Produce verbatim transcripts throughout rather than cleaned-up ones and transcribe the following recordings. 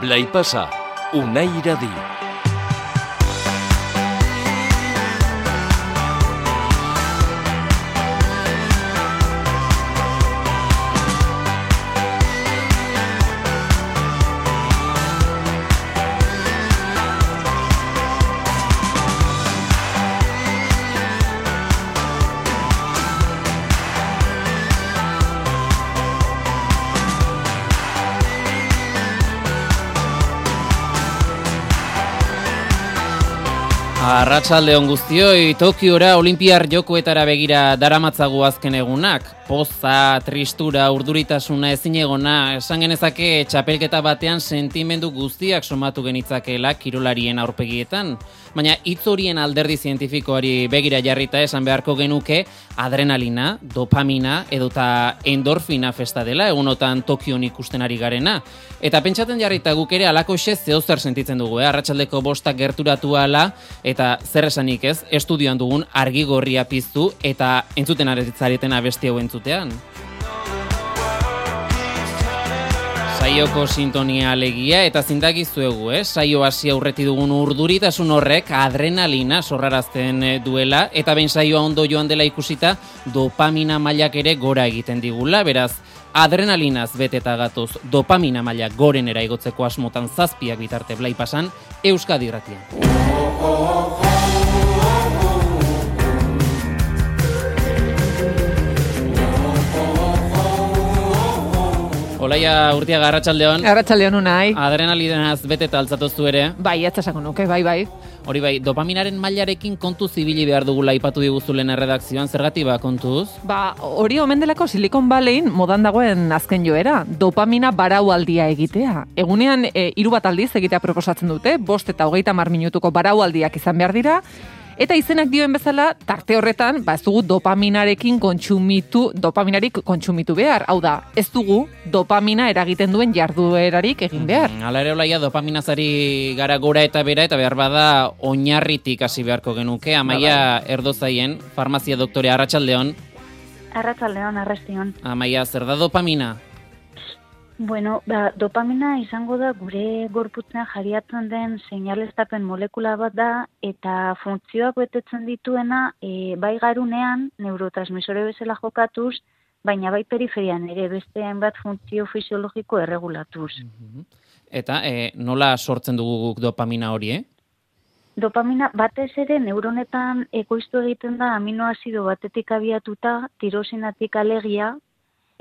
Blai pasa, Unai Iradi. Arratsaldeon guztioi, Tokiora Olinpiar Jokoetara begira daramatzagu azken egunak. Poza, tristura, urduritasuna, ezinegona, esan genezake txapelketa batean sentimendu guztiak somatu genitzakeela kirolarien aurpegietan. Baina hitz horien alderdi zientifikoari begira jarrita esan beharko genuke adrenalina, dopamina edota endorfina festa dela egunotan Tokion ikusten ari garena. Eta pentsatzen jarrita guk ere alakoxe zeozer sentitzen dugu, eh? Arratsaldeko bostak gerturatu ala eta zer esanik ez, estudioan dugun argi gorria piztu eta entzuten aretzareten abesti hau entzutean. Saioko sintonia alegia eta zindakizuegu, eh? Saio hasi aurreti dugun urduritasun horrek adrenalina sorrarazten duela eta behin saioa ondo joan dela ikusita dopamina mailak ere gora egiten digula, beraz adrenalinaz beteta gatoz dopamina maila gorenera igotzeko asmotan zazpiak bitarte Blai pasan Euskadi Irratian. Olaia Urtiaga, arratsaldeon. Arratsaldeon Unai. Adrenalinaz beteta altzatoztu ere. Bai, ez esango nuke, bai, bai. Hori bai, dopaminaren mailarekin kontuz ibili behar dugula aipatu diguzu lehen erredakzioan, zergatik ba kontuz? Ba, hori omen delako Silicon Valleyin modan dagoen azken joera, dopamina baraualdia egitea. Egunean e, hiru bat aldiz egitea proposatzen dute, bost eta hogeita hamar minutuko baraualdiak izan behar dira, eta izenak dioen bezala, tarte horretan, ba ez dugu dopaminarekin kontsumitu, dopaminarik kontsumitu behar. Hau da, ez dugu dopamina eragiten duen jarduerarik egin behar. Mm, Hala ere olaia dopaminazari gara gora eta bera, eta behar bada oinarritik hasi beharko genuke. Amaia Erdozaien, farmazia doktore, arratsaldeon. Arratsaldeon, arrastion. Amaia, zer da dopamina? Bueno, ba, dopamina izango da gure gorputzean jariatzen den seinaleztapen molekula bat da eta funtzioak betetzen dituena e, bai garunean neurotransmisore bezala jokatuz, baina bai periferian ere beste hainbat funtzio fisiologiko erregulatuz. Eta e, nola sortzen dugu guk dopamina hori, eh? Dopamina batez ere neuronetan ekoiztu egiten da aminoazido batetik abiatuta, tirosinatik alegia,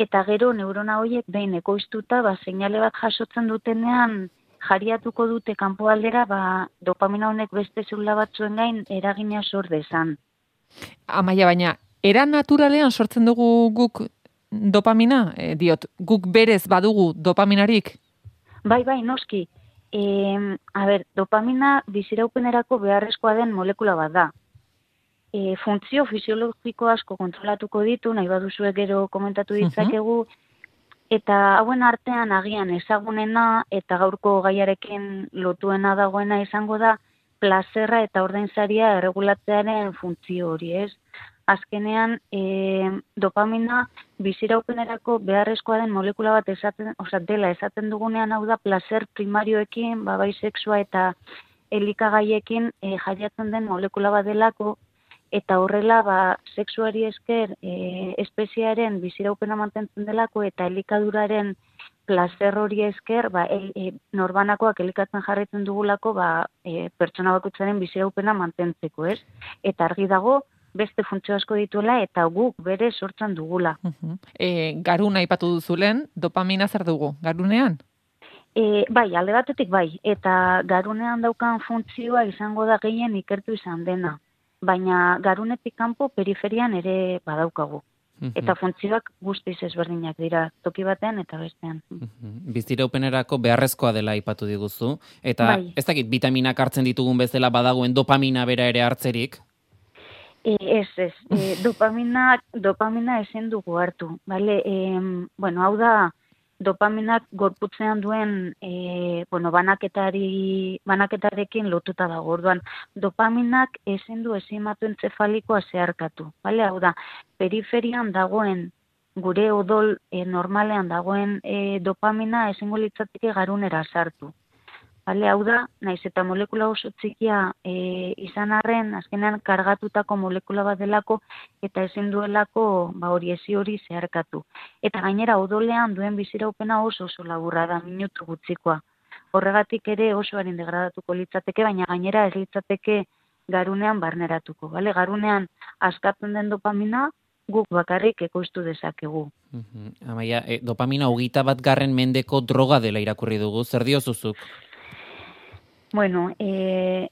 eta gero neurona horiek behin ekoiztuta, ba, seinale bat jasotzen dutenean jariatuko dute kanpoaldera, ba, dopamina honek beste zelula batzuen gain eragina sor dezan. Amaia, baina, era naturalean sortzen dugu guk dopamina? E, diot, guk berez badugu dopaminarik? Bai, bai, noski. E, a ber, dopamina biziraupenerako beharrezkoa den molekula bat da. E, funtzio fisiologiko asko kontrolatuko ditu, nahi baduzue gero komentatu ditzakegu, eta hauen artean agian ezagunena eta gaurko gaiarekin lotuena dagoena izango da plazerra eta ordainsaria erregulatzearen funtzio hori, ez? Azkenean, e, dopamina biziraupenerako beharrezkoa den molekula bat esaten, oza, dela esaten dugunean, hau da plazer primarioekin, ba, bai sexua eta elikagaiekin e, jariatzen den molekula bat delako, eta horrela, ba, sexuari esker e, espeziaren biziraupena mantentzen delako eta elikaduraren plazer hori esker, ba, e, e, norbanakoak elikatzen jarraitzen dugulako, ba, e, pertsona bakoitzaren biziraupena mantentzeko, ez? Eta argi dago, beste funtzio asko dituela eta guk bere sortzen dugula. Uh-huh. E, garuna aipatu duzulen, dopamina zer dugu, garunean? E, bai, alde batetik bai, eta garunean daukan funtzioa izango da gehien ikertu izan dena. Baina garunetik kanpo periferian ere badaukagu. Eta funtzioak guztiz ezberdinak dira, toki batean eta bestean. Biziraupenerako beharrezkoa dela aipatu diguzu. Eta bai. Ez dakit vitaminak hartzen ditugun bezala badagoen dopamina bera ere hartzerik? E, ez, ez. E, dopamina, dopamina ezin dugu hartu. Vale? E, bueno, hau da, dopaminak gorputzean duen e, bueno, banaketari, banaketarekin lotuta dago. Orduan, dopaminak ezin du enzimatu entzefalikoa zeharkatu. Vale? Hau da, periferian dagoen, gure odol e, normalean dagoen e, dopamina ezingo litzateke garunera sartu. Bale, hau da, naiz eta molekula oso txikia e, izan arren, azkenean kargatutako molekula bat delako eta ezin duelako ba, hori ezi hori zeharkatu. Eta gainera odolean duen biziraupena oso oso laburra da, minutu gutzikoa. Horregatik ere oso harin degradatuko litzateke, baina gainera ez litzateke garunean barneratuko. Bale? Garunean askatzen den dopamina guk bakarrik ekoiztu dezakegu. Uh-huh. Amaia, e, dopamina hogeita bat garren mendeko droga dela irakurri dugu, zer diozuzuk? Bueno, e,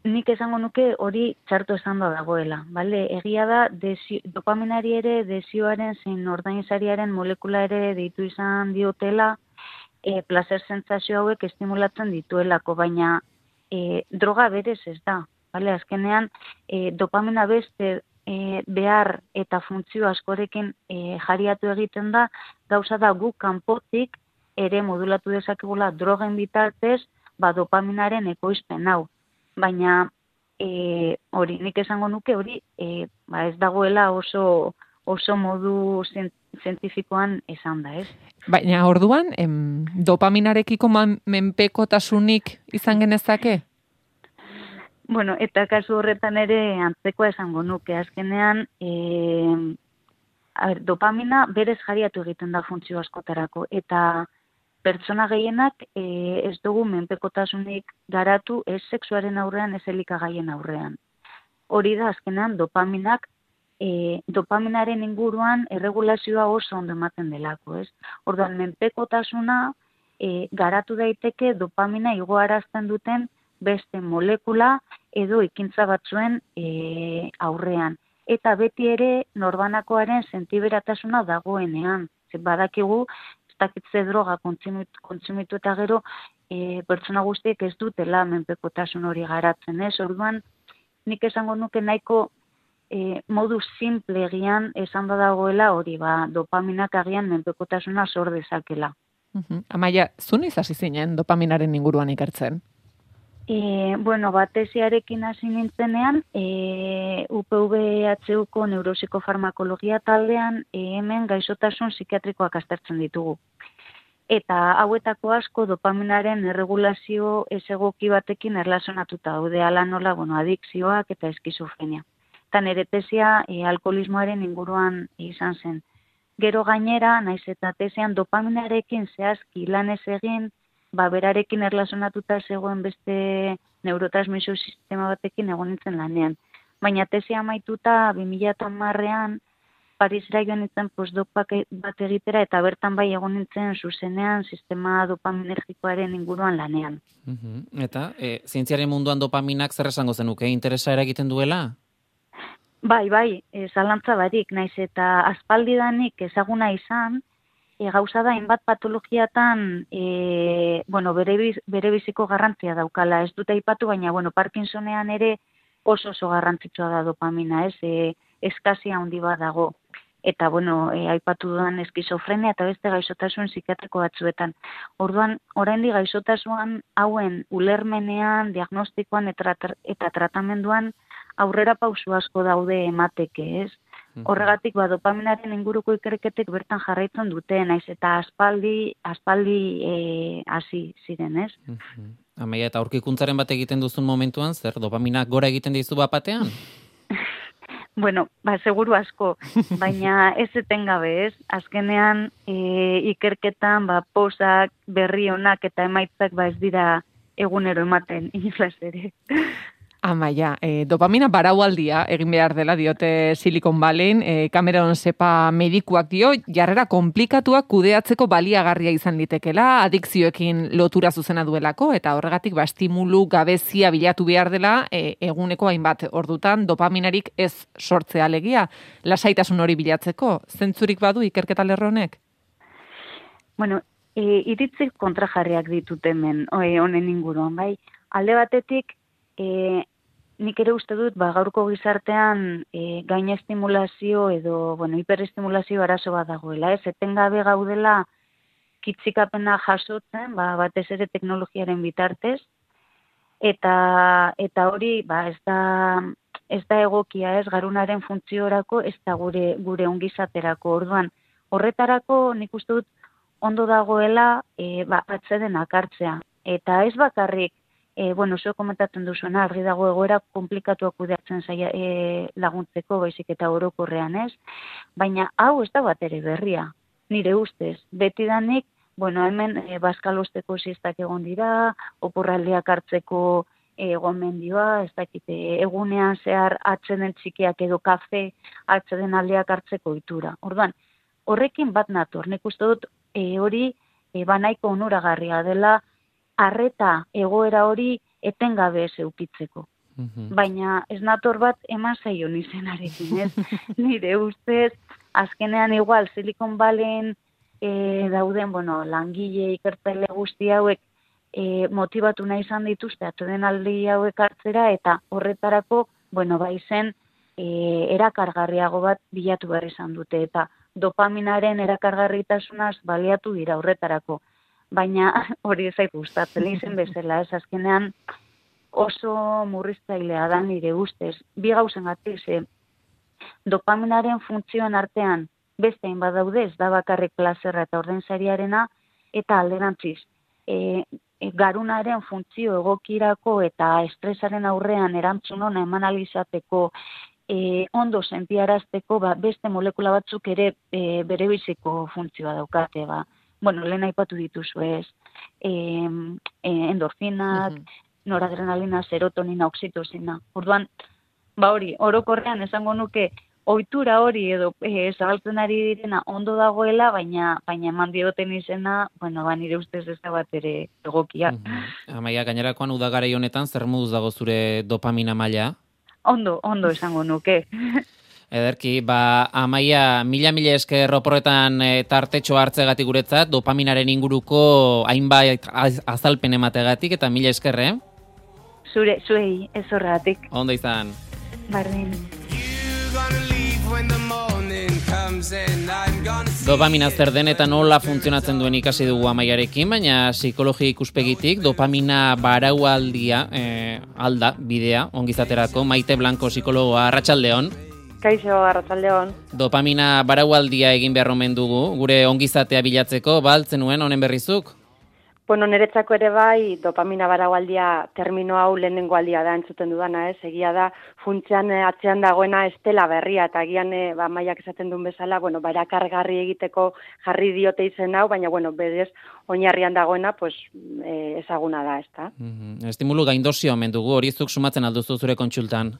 nik esango nuke hori txarto esan da dagoela. Bale? Egia da, desio, dopaminari ere desioaren zein ordainsariaren molekula ere deitu izan diotela, e, placer sentsazio hauek estimulatzen dituelako, baina e, droga berez ez da. Bale? Azkenean, e, dopamina beste e, behar eta funtzio askorekin e, jariatu egiten da, gauza da guk kanpotik ere modulatu dezakegula drogen bitartez, ba, dopaminaren ekoizpen hau. Baina e, hori, nik esango nuke hori e, ba, ez dagoela oso, oso modu zientifikoan esan da, ez? Baina orduan, em, dopaminarekiko man, menpekotasunik izan genezake? Bueno, eta kasu horretan ere antzekoa esango nuke. Azkenean, e, a ber, dopamina berez jariatu egiten da funtzio askotarako, eta pertsona gehienak e, ez dugu menpekotasunik garatu ez sexuaren aurrean, ez elikagaien aurrean. Hori da azkenean dopaminak, e, dopaminaren inguruan erregulazioa oso ondo ematen delako, ez? Orduan, menpekotasuna e, garatu daiteke dopamina igoarazten duten beste molekula edo ekintza batzuen e, aurrean. Eta beti ere norbanakoaren sentiberatasuna dagoenean. Ze badakigu, ez dakitze droga kontsumitu, kontsumitu eta gero e, pertsona guztiek ez dutela menpekotasun hori garatzen, ez? Orduan, nik esango nuke nahiko e, modu simple egian esan da dagoela hori, ba, dopaminak agian menpekotasuna sor dezakela. Uh-huh. Amaia, zu noiz hasi zinen dopaminaren inguruan ikertzen? E, bueno, batesiarekin hasi nintzenean, e, U P V H Uko neuropsikofarmakologia taldean e, hemen gaixotasun psikiatrikoak aztertzen ditugu. Eta hauetako asko dopaminaren erregulazio ez egoki batekin erlazionatuta daude, ala nola, bueno, adikzioak eta eskizofrenia. Eta nire tesia e, alkoholismoaren inguruan izan zen. Gero gainera, naiz eta tesian dopaminarekin zehazki lan ez egin, ba, berarekin erlazionatuta zegoen beste neurotransmisio sistema batekin egon nintzen lanean. Baina tesia amaituta bi mila hamarrean Parisera joan nintzen postdoc bat egitera eta bertan bai egon nintzen zuzenean sistema dopaminergikoaren inguruan lanean. Uh-huh. Eta, e, zientziaren munduan dopaminak zer esango zenuke, interesa eragiten duela? Bai, bai, e, zalantza barik, naiz eta aspaldidanik ezaguna izan, E, gauza da, hainbat patologiatan e, bueno, bere, biz, bere biziko garrantzia daukala. Ez dut aipatu, baina bueno, Parkinsonean ere oso oso garrantzitsua da dopamina, ez? E, eskazia handi bat dago. Eta, bueno, e, aipatu dudan eskizofrenia eta beste gaixotasun psikiatriko batzuetan. Orduan, oraindik gaixotasun hauen ulermenean, diagnostikoan eta, eta tratamenduan aurrera pausu asko daude emateke, ez? Horregatik, ba, dopaminaren inguruko ikerketek bertan jarraitzen dute, naiz eta aspaldi, aspaldi hasi e, ziren, ez? Uh-huh. Amaia, eta aurkikuntzaren bat egiten duzun momentuan, zer, dopamina gora egiten dizu bapatean? Bueno, ba, seguru asko, baina ez etengabe, ez? Azkenean, e, ikerketan, ba, posak, berri onak eta emaitzak, ba, ez dira egunero ematen, inoz ere. Amaia, e, dopamina baraualdia egin behar dela diote Silicon Valleyn, e, Cameron Sepa medikuak dio, jarrera konplikatuak kudeatzeko baliagarria izan litekela, adikzioekin lotura zuzena duelako, eta horregatik ba, estimulu gabezia bilatu behar dela, e, eguneko hainbat ordutan dopaminarik ez sortzea alegia, lasaitasun hori bilatzeko, zentzurik badu ikerketa lerro honek? Bueno, e, iritzik kontrajarriak ditut hemen, honen inguruan, bai, alde batetik, e, nik ere uste dut, ba, gaurko gizartean e, gaina estimulazio edo, bueno, hiperestimulazio arazo bat dagoela, ez? Etengabe gaudela kitzikapena jasotzen, ba, batez ere teknologiaren bitartez, eta eta hori, ba, ez da, ez da egokia, ez? Garunaren funtziorako, ez da gure, gure ongizaterako. Orduan, horretarako nik uste dut ondo dagoela, e, ba, atzeden akartzea. Eta ez bakarrik, e, bueno, zuek komentatzen duzuena, argi dago egoera komplikatuak kudeatzen zaia e, laguntzeko, baizik eta orokorrean ez, baina hau ez da bat ere berria, nire ustez, betidanik, bueno, hemen e, bazkalosteko siestak egon dira, oporraldiak hartzeko e, gomendioa, ez dakite, egunean zehar atzeden txikiak edo kafe atzeden aldeak hartzeko itura. Orduan, horrekin bat nator, nik uste dut e, hori e, banaiko onuragarria dela, arreta egoera hori etengabe ez eukitzeko. Mm-hmm. Baina ez nator bat eman zaio nizenarekin, ez? Nire ustez, azkenean igual, Silicon Valleyn e, dauden, bueno, langile ikertzaile guzti hauek e, motibatu nahi izan dituzte, atzeden aldi hauek hartzera, eta horretarako, bueno, bai zen, e, erakargarriago bat bilatu behar izan dute, eta dopaminaren erakargarritasunaz baliatu dira horretarako. Baina hori ezait gustatzen izen bezala, ez azkenean oso murriztailea da nire ustez. Bi gauzengatik, ze dopaminaren funtzioen artean beste hainbat daude, ez da bakarrik plazerra eta ordainsariarena, eta alderantziz, e, e, garunaren funtzio egokirako eta estresaren aurrean erantzun ona eman ahal izateko, e, ondo sentiarazteko, ba, beste molekula batzuk ere e, bere biziko funtzioa daukate, ba. Bueno, lehen aipatu dituzu ez, e, e, endorfinak, uh-huh. noradrenalina, serotonina, oxitosina. Orduan, ba hori, orokorrean esango nuke, ohitura hori edo e, zabaltzen ari direna ondo dagoela, baina baina eman dioten izena, bueno, ba nire ustez ez da bat ere egokia. Uh-huh. Amaia, gainerakoan udagarai honetan, zer moduz dago zure dopamina maila? Ondo, ondo esango nuke. Ederki, ba, Amaia, mila-mila esker oporretan e, tartetxo hartzegatik guretzat, dopaminaren inguruko hainbait azalpen emategatik, eta mila esker, eh? Zure, zuei, ez horregatik. Ondo izan. Bardin. Dopamina zer den eta nola funtzionatzen duen ikasi dugu Amaiarekin, baina psikologia ikuspegitik dopamina baraualdia e, alda, bidea, ongizaterako, Maite Blanco psikologoa, arratsaldeon. Kaixo, arratsaldeon. Dopamina baraualdia egin behar omen dugu, gure ongizatea bilatzeko, baltzen nuen honen berrizuk? Bueno, niretzako ere bai, dopamina baraualdia termino hau lehenengo aldia da entzuten dudana, ez? Egia da, funtzean atzean dagoena estela berria, eta agian ba, Maiak esaten duen bezala, bueno, barakargarri egiteko jarri diote izen hau, baina, bueno, berez, oinarrian dagoena, pues, e, ezaguna da, ez da? Mm-hmm. Estimulu gaindozio omen dugu, hori zuk sumatzen alduzu zure kontsultan?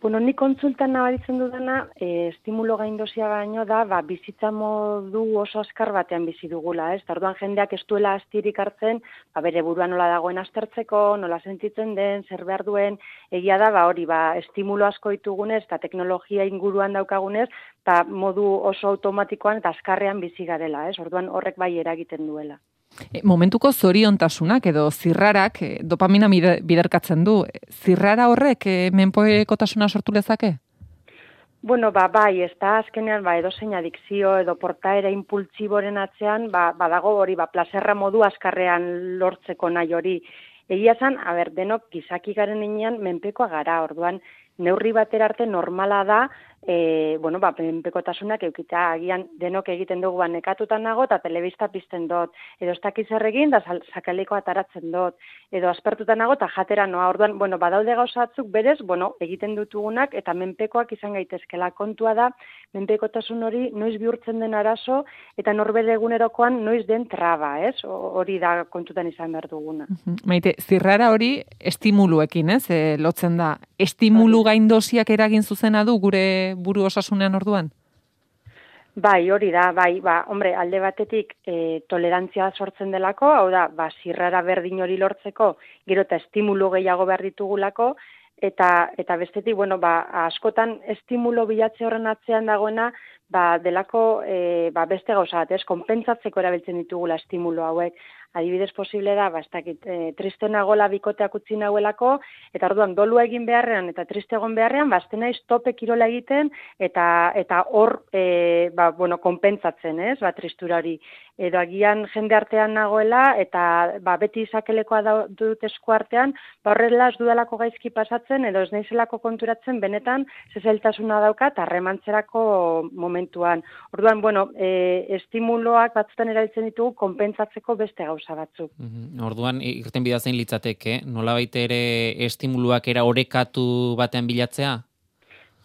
Bueno, ni kontsultan nabaritzen dudana, e, estimulo gaindozia baino da, ba, bizitza modu oso askar batean bizi dugula, ez? Orduan jendeak ez duela astirik hartzen, ba, bere buruan nola dagoen aztertzeko, nola sentitzen den, zer behar duen, egia da, ba, hori, ba, estimulo asko ditugunez, eta teknologia inguruan daukagunez, eta modu oso automatikoan eta azkarrean bizi garela, ez? Orduan horrek bai eragiten duela. E, momentuko zoriontasunak edo zirrarak e, dopamina biderkatzen du. Zirrara horrek e, menpekotasuna sortu lezake? Bueno, ba, bai, ez da azkenean ba, edozein adikzio edo portaera impultsiboren atzean, ba, badago hori, ba, plazerra modu azkarrean lortzeko nahi hori. Egia zan, a ber, denok gizaki garen inean menpekoa gara, orduan neurri batera arte normala da, e, bueno, ba, menpekotasunak eukita, agian denok egiten dugu ba, nekatutan nago eta telebista pizten dut, edo ez dakiz erregin da sakaleko ataratzen dut, edo aspertutan nago eta jatera noa, orduan, bueno, badaude gauzatzuk berez, bueno, egiten dutugunak eta menpekoak izan gaitezkela, kontua da, menpekotasun hori noiz bihurtzen den arazo eta norbere egunerokoan noiz den traba, ez? Hori da kontutan izan behar duguna. Maite, zirrara hori estimuluekin, ez? E, lotzen da. Estimulu gaindosiak eragin zuzena du gure buru osasunean orduan? Bai, hori da, bai, ba, hombre, alde batetik e, tolerantzia sortzen delako, hau da, ba, zirrara berdin hori lortzeko, gero eta estimulu gehiago behar ditugulako, eta eta bestetik, bueno, ba, askotan estimulo bilatze horren atzean dagoena, ba, delako e, ba, beste gauza bat, ez, konpentsatzeko erabiltzen ditugula estimulo hauek. Adibidez posible da, ba, ez dakit, e, triste nagola bikoteak utzi nagoelako, eta orduan dolu egin beharrean eta triste egon beharrean, ba, azten naiz tope kirola egiten, eta eta hor, e, ba, bueno, konpentsatzen, ez, ba, tristura hori. Edo agian jende artean nagoela, eta ba, beti izakelekoa dut esku artean, ba, horrela ez dudalako gaizki pasatzen, edo ez naizelako konturatzen, benetan, zezailtasuna daukat, harremantzerako momentuan. Orduan, bueno, e, estimuloak batzutan erabiltzen ditugu konpentsatzeko beste gauza gauza batzuk. Mhm. Orduan, irten bidea zein litzateke, nolabait ere estimuluak era orekatu batean bilatzea?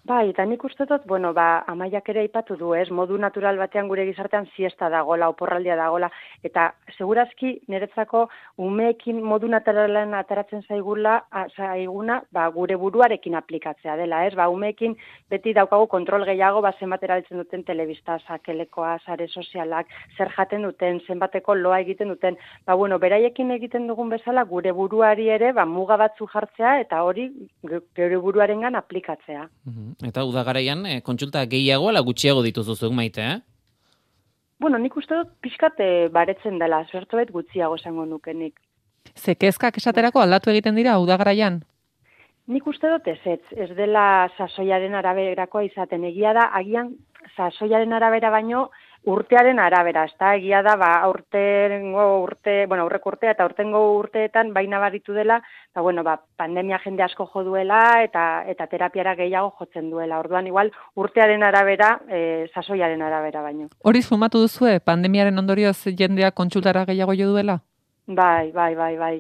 Bai, eta nik uste dut, bueno, ba, Amaiak ere aipatu du, ez, modu natural batean gure gizartean siesta dagola, oporraldia dagola, eta segurazki niretzako umeekin modu naturalean ataratzen zaigula, a, zaiguna, ba, gure buruarekin aplikatzea dela, ez, ba, umeekin beti daukagu kontrol gehiago, ba, zenbat erabiltzen duten telebista, sakelekoa, sare sozialak, zer jaten duten, zenbateko loa egiten duten, ba, bueno, beraiekin egiten dugun bezala, gure buruari ere, ba, muga batzu jartzea, eta hori gure buruarengan aplikatzea. Mhm. Eta udagaraian, e, kontsulta gehiago ala gutxiago dituzuzuk, Maite, eh? Bueno, nik uste dut pixkat e, baretzen dela, zertobet gutxiago esango nukenik. Ze kezkak esaterako aldatu egiten dira udagaraian? Nik uste dut ez, ez, ez dela sasoiaren araberakoa izaten. Egia da, agian sasoiaren arabera baino urtearen arabera, ezta? Egia da, ba, aurtengo urte, bueno, aurreko urtea eta aurtengo urteetan baina baritu dela, ba, bueno, ba, pandemia jende asko jo duela eta eta terapiara gehiago jotzen duela. Orduan, igual, urtearen arabera, e, sasoiaren arabera baino. Hori sumatu duzue, pandemiaren ondorioz jendea kontsultara gehiago jo duela? Bai, bai, bai, bai,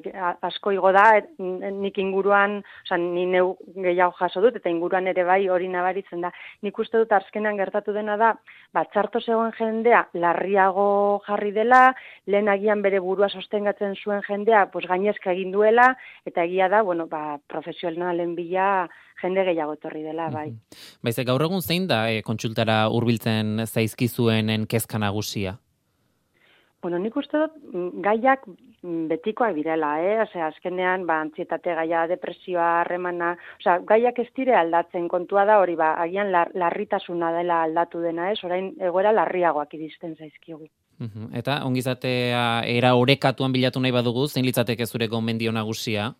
asko igo da, et, nik inguruan, oza, ni neu gehiago jaso dut, eta inguruan ere bai hori nabaritzen da. Nik uste dut azkenean gertatu dena da, ba, txarto zegoen jendea larriago jarri dela, lehen agian bere burua sostengatzen zuen jendea, pues gainezka egin duela, eta egia da, bueno, ba, profesionalen bila jende gehiago etorri dela, bai. Baize, gaur egun zein da e, kontsultara hurbiltzen zaizkizuenen kezka nagusia? Bueno, nik uste dut gaiak betikoak direla, eh? Osea, azkenean, ba, antsietate gaia, depresioa, harremana, osea, gaiak ez dire aldatzen, kontua da hori, ba, agian lar, larritasuna dela aldatu dena, ez? Orain egoera larriagoak iristen zaizkigu. Uhum. Eta ongizatea era orekatuan bilatu nahi badugu, zein litzateke zure gomendio nagusia?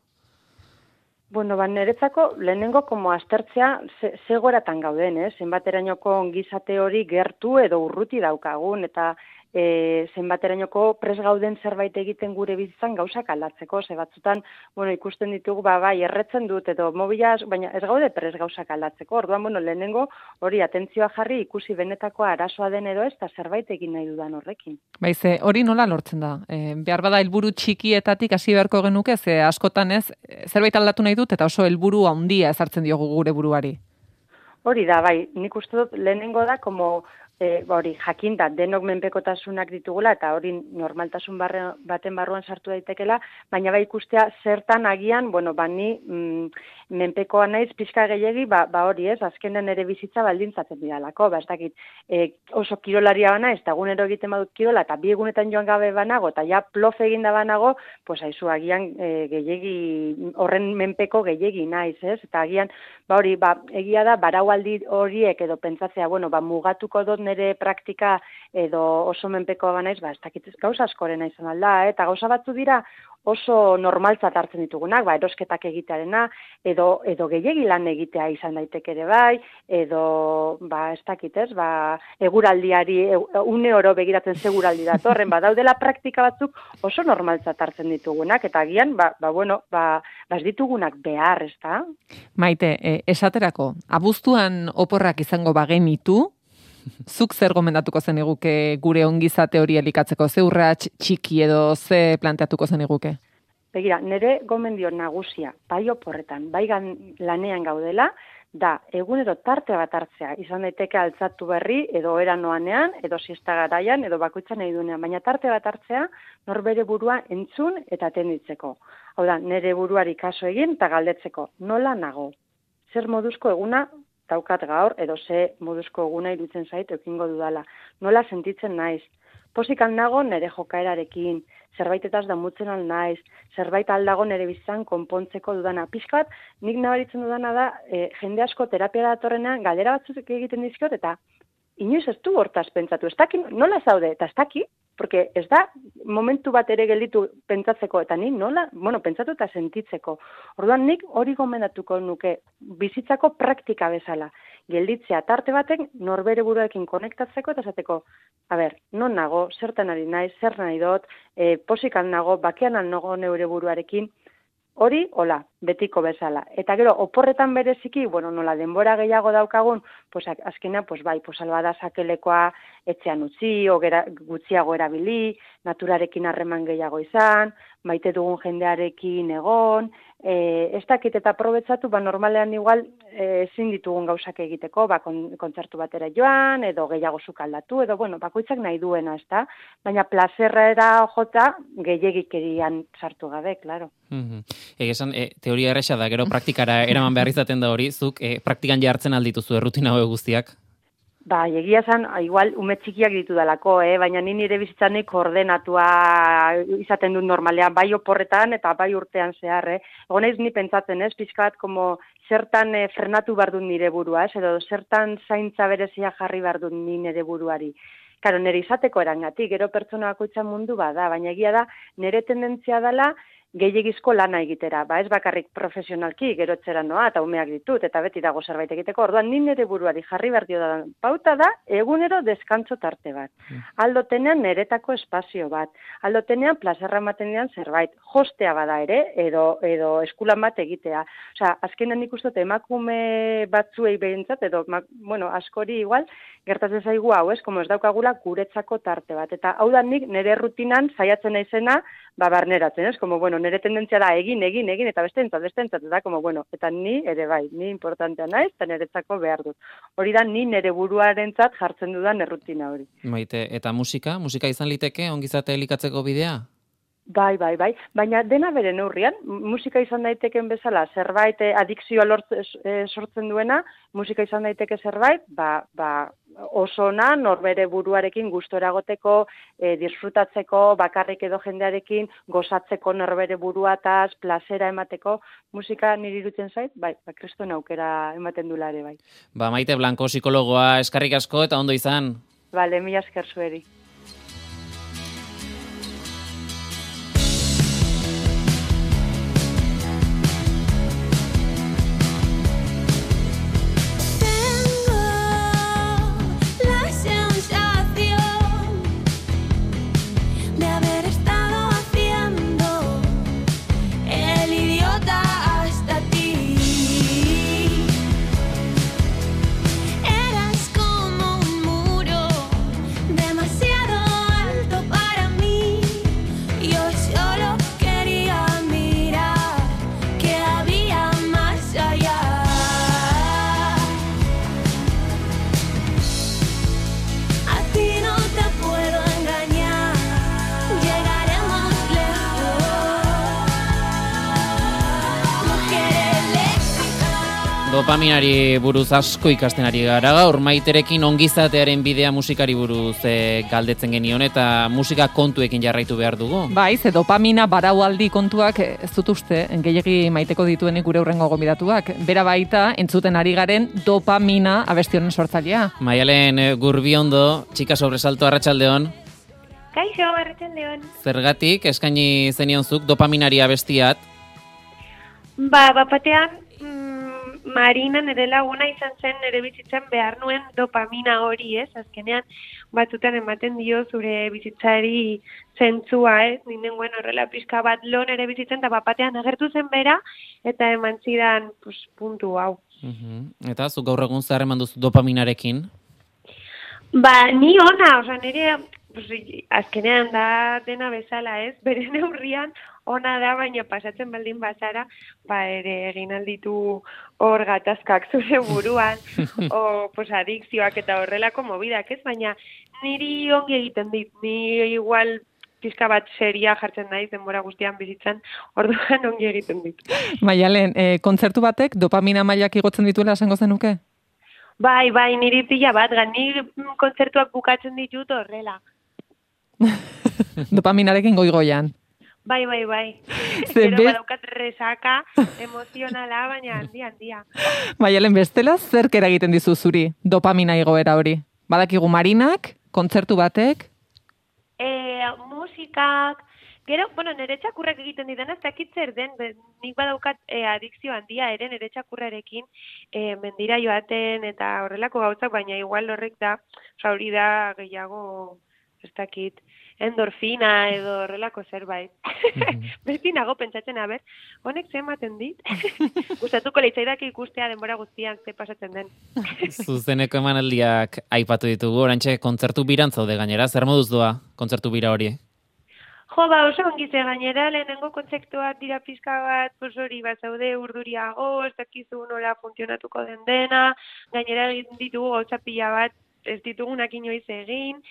Bueno, ba, niretzako lehenengo como aztertzea ze, zegoeratan gauden, eh? Zenbaterainoko ongizate hori gertu edo urruti daukagun, eta E, zenbaterainoko pres gauden zerbait egiten gure bizitzan gauzak aldatzeko, ze batzutan, bueno, ikusten ditugu, ba, bai, erretzen dut, edo mobilaz, baina ez gaude pres gauzak aldatzeko, orduan, bueno, lehenengo hori atentzioa jarri ikusi benetako arazoa den edo ez, eta zerbait egin nahi dudan horrekin. Baize, hori nola lortzen da? E, behar bada helburu txikietatik hasi beharko genuke, ze askotan ez, zerbait aldatu nahi dut, eta oso helburu handia ezartzen diogu gure buruari. Hori da, bai, nik uste dut lehenengo da, como E, hori, jakinda, denok menpekotasunak ditugula, eta hori normaltasun barre, baten barruan sartu daitekela, baina bai ikustea zertan agian, bueno, ba ni mm, menpekoa naiz pixka gehiegi, ba, ba hori ez, azkenen ere bizitza baldintzatzen didalako, ba ez dakit, e, oso kirolaria bana, ez da egunero egiten badut kirola, eta bi egunetan joan gabe banago, eta ja plof eginda banago, pues haizu agian e, gehiegi, horren menpeko gehiegi naiz, ez, eta agian, ba hori, ba, egia da, baraualdi horiek edo pentsatzea, bueno, ba mugatuko dut nire praktika edo oso menpeko banaiz, ba, ez dakit gauza askorena izan alda, eh? Eta gauza batzu dira oso normaltzat hartzen ditugunak, ba, erosketak egitearena, edo, edo gehiegi lan egitea izan daiteke ere bai, edo, ba, ez dakit ez, ba, eguraldiari, une oro begiratzen seguraldi datorren, ba, daudela praktika batzuk oso normaltzat hartzen ditugunak, eta agian, ba, ba bueno, ba, ba, ez ditugunak behar, ez da? Maite, e, esaterako, abuztuan oporrak izango bagenitu, zuk zer gomendatuko zeniguke gure ongizate hori elikatzeko? Ze urrats txiki edo ze planteatuko zeniguke? Begira, nire gomendio nagusia, bai oporretan, bai gan, lanean gaudela, da egunero tarte bat hartzea, izan daiteke altzatu berri, edo eran noanean, edo siesta garaian, edo bakoitzan nahi duenean, baina tarte bat hartzea, norbere burua entzun eta atenditzeko. Hau da, nire buruari kaso egin eta galdetzeko, nola nago? Zer moduzko eguna daukat gaur, edo ze moduzko eguna iruditzen zait, ekingo dudala. Nola sentitzen naiz? Posikan nago nire jokaerarekin, zerbaitetaz damutzen al naiz, zerbait aldago nire bizitzan konpontzeko dudana. Pixkat, nik nabaritzen dudana da, e, jende asko terapia datorrenean, galdera batzuk egiten dizkiot, eta inoiz ez du hortaz pentsatu. Ez daki, nola zaude, eta ez daki, porque ez da momentu bat ere gelditu pentsatzeko, eta ni nola, bueno, pentsatu eta sentitzeko. Orduan nik hori gomendatuko nuke bizitzako praktika bezala. Gelditzea tarte batek norbere buruekin konektatzeko eta esateko, a ber, non nago, zertan ari naiz, zer nahi dut, e, posikan nago, bakean nago neure buruarekin, hori, hola, betiko bezala. Eta gero, oporretan bereziki, bueno, nola denbora gehiago daukagun, pues, azkenean, pues, bai, pues, albada sakelekoa etxean utzi, ogera, gutxiago erabili, naturarekin harreman gehiago izan, maite dugun jendearekin egon, e, ez dakit eta aprobetsatu, ba, normalean igual e, ezin ditugun gauzak egiteko, ba, kon, kontzertu batera joan, edo gehiago sukaldatu, edo, bueno, bakoitzak nahi duena, ez da? Baina plazerrera jota gehiagikerian sartu gabe, klaro. Mm-hmm. Egesan, e, teoria erresa da, gero praktikara eraman behar izaten da hori, zuk e, praktikan jartzen aldituzu errutina hau guztiak? Ba, egia zan, igual, ume txikiak ditu dalako, eh? Baina ni nire bizitzanik ordenatua izaten dut normalean, bai oporretan eta bai urtean zehar, eh? Egon naiz ni pentsatzen, ez, pixkat, como zertan eh, frenatu behar dut nire burua, ez, edo zertan zaintza berezia jarri behar dut ni nire buruari. Karo, nire izateko erangatik, gero pertsona bakoitza mundu bada, baina egia da, nire tendentzia dela, gehiagizko lana egitera, ba ez bakarrik profesionalki, gero etxera noa, eta umeak ditut, eta beti dago zerbait egiteko, orduan ni nire buruari jarri behar dio da, pauta da, egunero deskantzo tarte bat. Aldotenean niretako espazio bat, aldotenean plazerra matenean zerbait, jostea bada ere, edo, edo eskulan bat egitea. Osea, azkenan ikustot emakume batzuei behintzat, edo, bueno, askori igual, gertatzen zaigu hau, ez, como ez daukagula guretzako tarte bat, eta hau da nik nire rutinan saiatzen naizena, ba, barneratzen, ez, como, bueno, nire tendentzia da egin, egin, egin, eta beste entzat, beste entzat, eta, como, bueno, eta ni ere bai, ni importantea naiz, eta niretzako behar dut. Hori da, ni nire buruarentzat jartzen dudan errutina hori. Maite, eta musika? Musika izan liteke ongizate elikatzeko bidea? Bai, bai, bai, baina dena bere neurrian, musika izan daiteken bezala, zerbait eh, adikzioa lort, eh, sortzen duena, musika izan daiteke zerbait, ba, ba, oso ona, norbere buruarekin gustora egoteko, eh, disfrutatzeko, bakarrik edo jendearekin, gozatzeko norbere buruataz, plazera emateko, musika niri irutzen zait, bai, ba, kriston aukera ematen dula ere, bai. Ba, Maite Blanco, psikologoa, eskarrik asko eta ondo izan. Bale, mila esker zueri. Dopaminari buruz asko ikasten ari gara gaur, Maiterekin ongizatearen bidea musikari buruz e, galdetzen genion eta musika kontuekin jarraitu behar dugu. Bai, ze dopamina baraualdi kontuak ez dut uste, gehiegi maiteko dituenik gure hurrengo gonbidatuak. Bera baita, entzuten ari garen dopamina abestionen sortzailea. Maialen Gurbiondo, txika sobresalto, arratsaldeon. Kaixo, arratsaldeon. Zergatik eskaini zenion zuk dopaminari abestiat? Ba, bapatean, Marina nire laguna izan zen nire bizitzan behar nuen dopamina hori, ez? Azkenean batzutan ematen dio zure bizitzari zentzua, ez? Ninengoen horrela pixka bat lo nire bizitzen, eta bapatean agertu zen bera, eta eman zidan pues, puntu hau. Uh-huh. Eta zuk gaur egun zer eman duzu dopaminarekin? Ba, ni ona, oza, nire pues, azkenean da dena bezala, ez? Bere neurrian ona da, baina pasatzen baldin bazara, ba ere egin alditu hor gatazkak zure buruan, o pues, adikzioak eta horrelako mobidak, ez? Baina niri ongi egiten dit, ni igual pizka bat seria jartzen naiz denbora guztian bizitzan, orduan ongi egiten dit. Maialen, e, kontzertu batek dopamina mailak igotzen dituela esango zenuke? Bai, bai, niri pila bat, gan, niri kontzertuak bukatzen ditut horrela. Dopaminarekin goi-goian. Bai, bai, bai. Pero badaukat resaka emozionala, baina handia, handia. Maialen, bestela zerk eragiten dizu zuri dopamina igoera hori? Badakigu Marinak, kontzertu batek? E, musikak, gero, bueno, nire txakurrak egiten didan, ez dakit zer den, nik badaukat e, adikzio handia ere nire txakurrarekin e, mendira joaten eta horrelako gauzak, baina igual horrek da, hori da gehiago ez dakit, endorfina edo horrelako zerbait. Beti nago pentsatzen, aber, honek ze ematen dit? Gustatuko leitzaidake ikustea denbora guztian ze pasatzen den. Zuzeneko emanaldiak aipatu ditugu, orantxe kontzertu biran zaude gainera, zer moduz doa kontzertu bira hori? Jo, ba, oso ongize gainera, lehenengo kontzeptuak dira pizka bat, pues hori, bat zaude urduriago, ez dakizu nola funtzionatuko den dena, gainera egin ditugu gauza pila bat, ez ditugunak inoiz egin,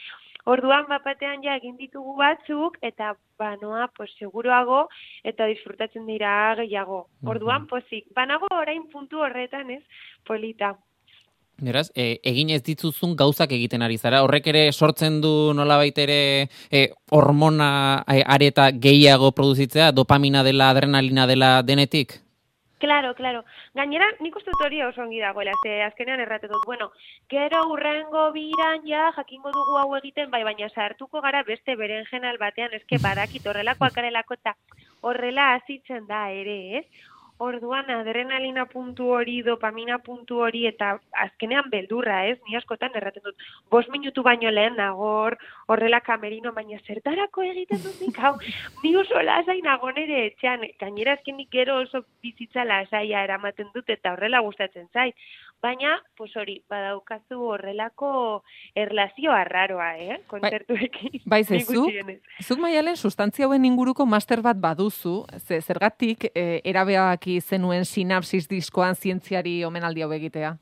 orduan bapatean ja egin ditugu batzuk, eta banoa, pues, seguruago, eta disfrutatzen dira gehiago. Orduan, pozik, banago orain puntu horretan, ez, polita. Beraz, e, egin ez dituzun gauzak egiten ari zara. Horrek ere sortzen du nolabait ere e, hormona e, areta gehiago produzitzea, dopamina dela, adrenalina dela denetik? Claro, claro. Gainera, nik uste dut hori oso ongi dagoela, ze azkenean errate dut. Bueno, gero urrengo biran ja jakingo dugu hau egiten, bai, baina sartuko gara beste berenjenal batean, eske badakit horrelakoak garelako eta horrela hazitzen da ere, ez? Orduan adrenalina puntu hori, dopamina puntu hori, eta azkenean beldurra, ez? Ni askotan erraten dut, bost minutu baino lehen nagor, horrela kamerino, baina zertarako egiten dut nik, hau, ni oso lasai nago nere etxean, gainera azkenik gero oso bizitza lasaia eramaten dut, eta horrela gustatzen zait. Baina, pues hori, badaukazu horrelako erlazio arraroa, eh? Kontzertuekin. Bai, ze, zuk, zuk Maialen, sustantzia hauen inguruko master bat baduzu, ze, zergatik e, erabeaki zenuen sinapsis diskoan zientziari omenaldi hau egitea?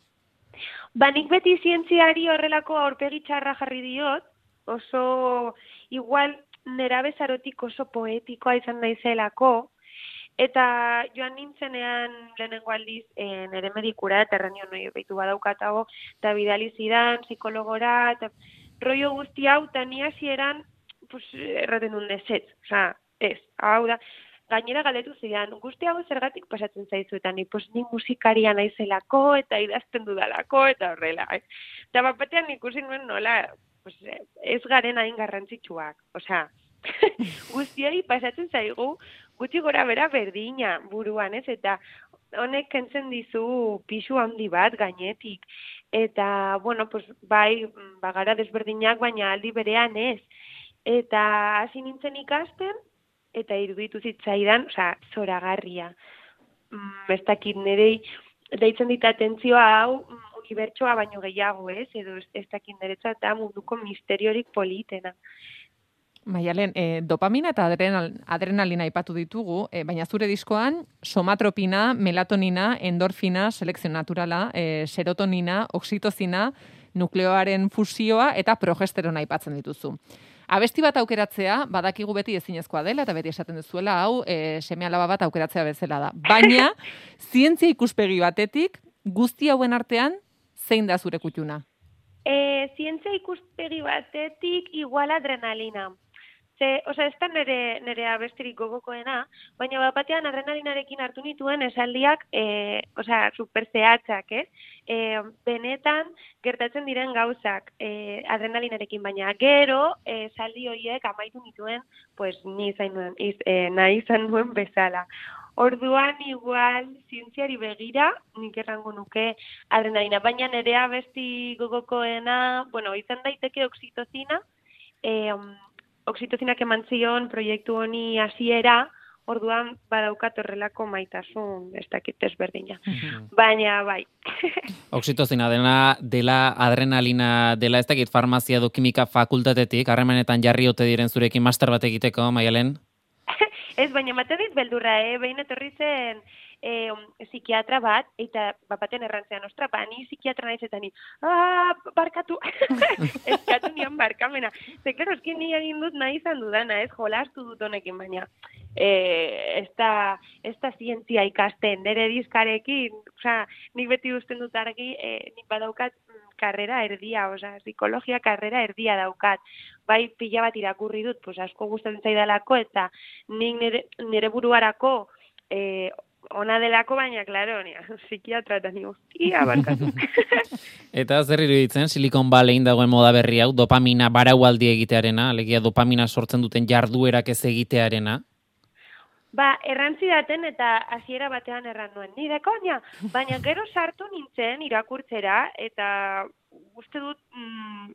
Ba, nik beti zientziari horrelako aurpegi txarra jarri diot, oso, igual, nerabezarotik oso poetikoa izan naizelako, eta joan nintzenean lehenengo aldiz e, nere medikura, eta erranio noi behitu badaukatago, eta bidali zidan, psikologora, eta rollo guzti hau, eta ni hasieran, pues, erraten duen ezetz, oza, ez, hau da, gainera galdetu zidan, guzti hau zergatik pasatzen zaizu, eta ni, pues, ni musikaria naizelako, eta idazten dudalako, eta horrela, eh? Eta bapatean ikusi nuen nola, pues, ez garen hain garrantzitsuak, oza, guztiari pasatzen zaigu, gutxi gora bera berdina buruan, ez? Eta honek kentzen dizu pisu handi bat gainetik. Eta, bueno, pues, bai, bagara desberdinak, baina aldi berean ez. Eta hasi nintzen ikasten, eta iruditu zitzaidan, osea, zoragarria. Mm, ez dakit nerei, deitzen dit atentzioa hau, unibertsoa baino gehiago, ez? Edo ez dakit niretzat da munduko misteriorik politena. Maialen, e, dopamina eta adrenal, adrenalina aipatu ditugu, e, baina zure diskoan somatropina, melatonina, endorfina, selekzio naturala, e, serotonina, oxitozina, nukleoaren fusioa eta progesterona aipatzen dituzu. Abesti bat aukeratzea, badakigu beti ezinezkoa dela, eta beti esaten duzuela, hau, e, seme-alaba bat aukeratzea bezala da. Baina, zientzia ikuspegi batetik, guzti hauen artean, zein da zure kutxuna? E, zientzia ikuspegi batetik, igual adrenalina. Ze, oza, ez da nere, nere abestirik gogokoena, baina bat batean adrenalinarekin hartu nituen esaldiak, e, oza, super zehatzak, eh? E, benetan gertatzen diren gauzak e, adrenalinarekin, baina gero e, esaldi horiek amaitu nituen, pues, ni izan nuen, iz, e, nahi izan nuen bezala. Orduan, igual, zientziari begira, nik errango nuke adrenalina, baina nere abesti gogokoena, bueno, izan daiteke oxitozina, e, oxitozinak eman zion proiektu honi hasiera, orduan badaukat horrelako maitasun, ez dakit ezberdina. Mm-hmm. Baina, bai. Oxitozina dela, dela adrenalina dela, ez dakit farmazia edo kimika fakultatetik, harremanetan jarri ote diren zurekin master bat egiteko, Maialen? Ez, baina mate dit beldurra, eh? Behin etorri zen e, psikiatra bat, eta bapaten errantzean, ostra, ba, ni psikiatra naiz eta ni, ah, barkatu, eskatu nian barkamena. Ze, klaro, eskin ni egin dut nahi izan dudana, ez, jolastu dut honekin, baina e, ez da, ez da zientzia ikasten, nire dizkarekin, osea, nik beti usten dut argi, e, nik badaukat karrera erdia, osea, psikologia karrera erdia daukat. Bai, pila bat irakurri dut, pues asko gustatzen zaidalako, eta nik nire, nire buruarako eh, ona delako, baina, klaro, psikiatra eta ni hostia, barkatu. Eta zer iruditzen, Silicon Valleyin dagoen moda berri hau, dopamina baraualdi egitearena, alegia dopamina sortzen duten jarduerak ez egitearena? Ba, errantzi daten eta hasiera batean erran nuen, nire koña, baina gero sartu nintzen irakurtzera, eta uste dut mm,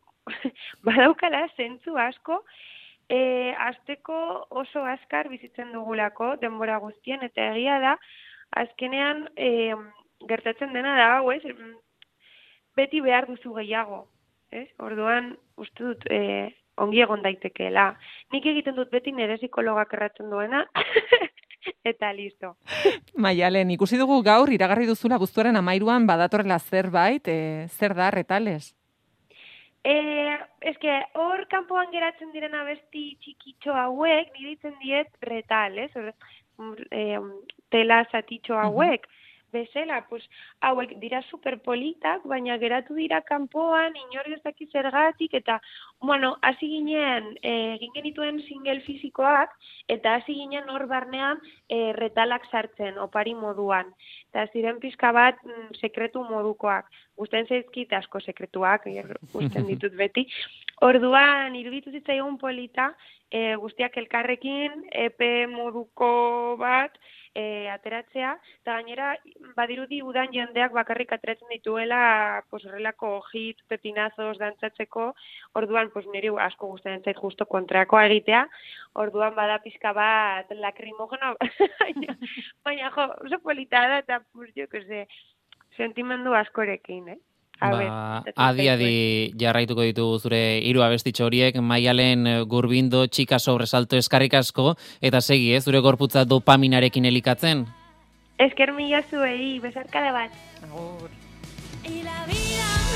badaukala zentzu asko, e, azteko oso azkar bizitzen dugulako denbora guztien, eta egia da, azkenean e, gertatzen dena da, hau, ez? Beti behar duzu gehiago, ez? Orduan, uste dut, e, ongi egon daitekeela. Nik egiten dut beti nire psikologak erratzen duena, eta listo. Maialen, ikusi dugu gaur iragarri duzula abuztuaren hamairuan badatorrela zerbait, e, zer da retales? Eh, eske hor kanpoan geratzen diren abesti txikitxo hauek, nire ditzen diet retal, ez? Hor, eh, tela zatitxo hauek. Uh-huh. Bezela, pues, hauek dira superpolitak, baina geratu dira kanpoan, inor ez daki zergatik, eta, bueno, hasi ginen, egin genituen single fizikoak, eta hasi ginen hor barnean e, retalak sartzen, opari moduan. Eta ziren pizka bat mm, sekretu modukoak. Gusten zaizkit asko sekretuak, gusten ditut beti. Orduan, iruditu zitzaigun polita, e, guztiak elkarrekin, epe moduko bat, e, ateratzea, eta gainera, badirudi udan jendeak bakarrik ateratzen dituela, pues, horrelako hit, pepinazos, dantzatzeko, orduan, pues, niri asko gustatzen zait justo kontrakoa egitea, orduan bada pizka bat lakrimogeno, baina, baina, jo, oso polita da, eta, pues, jo, que se, sentimendu askorekin, eh? Ba, adi-adi jarraituko ditugu zure hiru abestitxo horiek, Maialen Gurbindo, txika sobresalto eskarrik asko, eta segi, eh, zure gorputza dopaminarekin elikatzen. Esker mila zuei, besarkada bat. Agur. Y la vida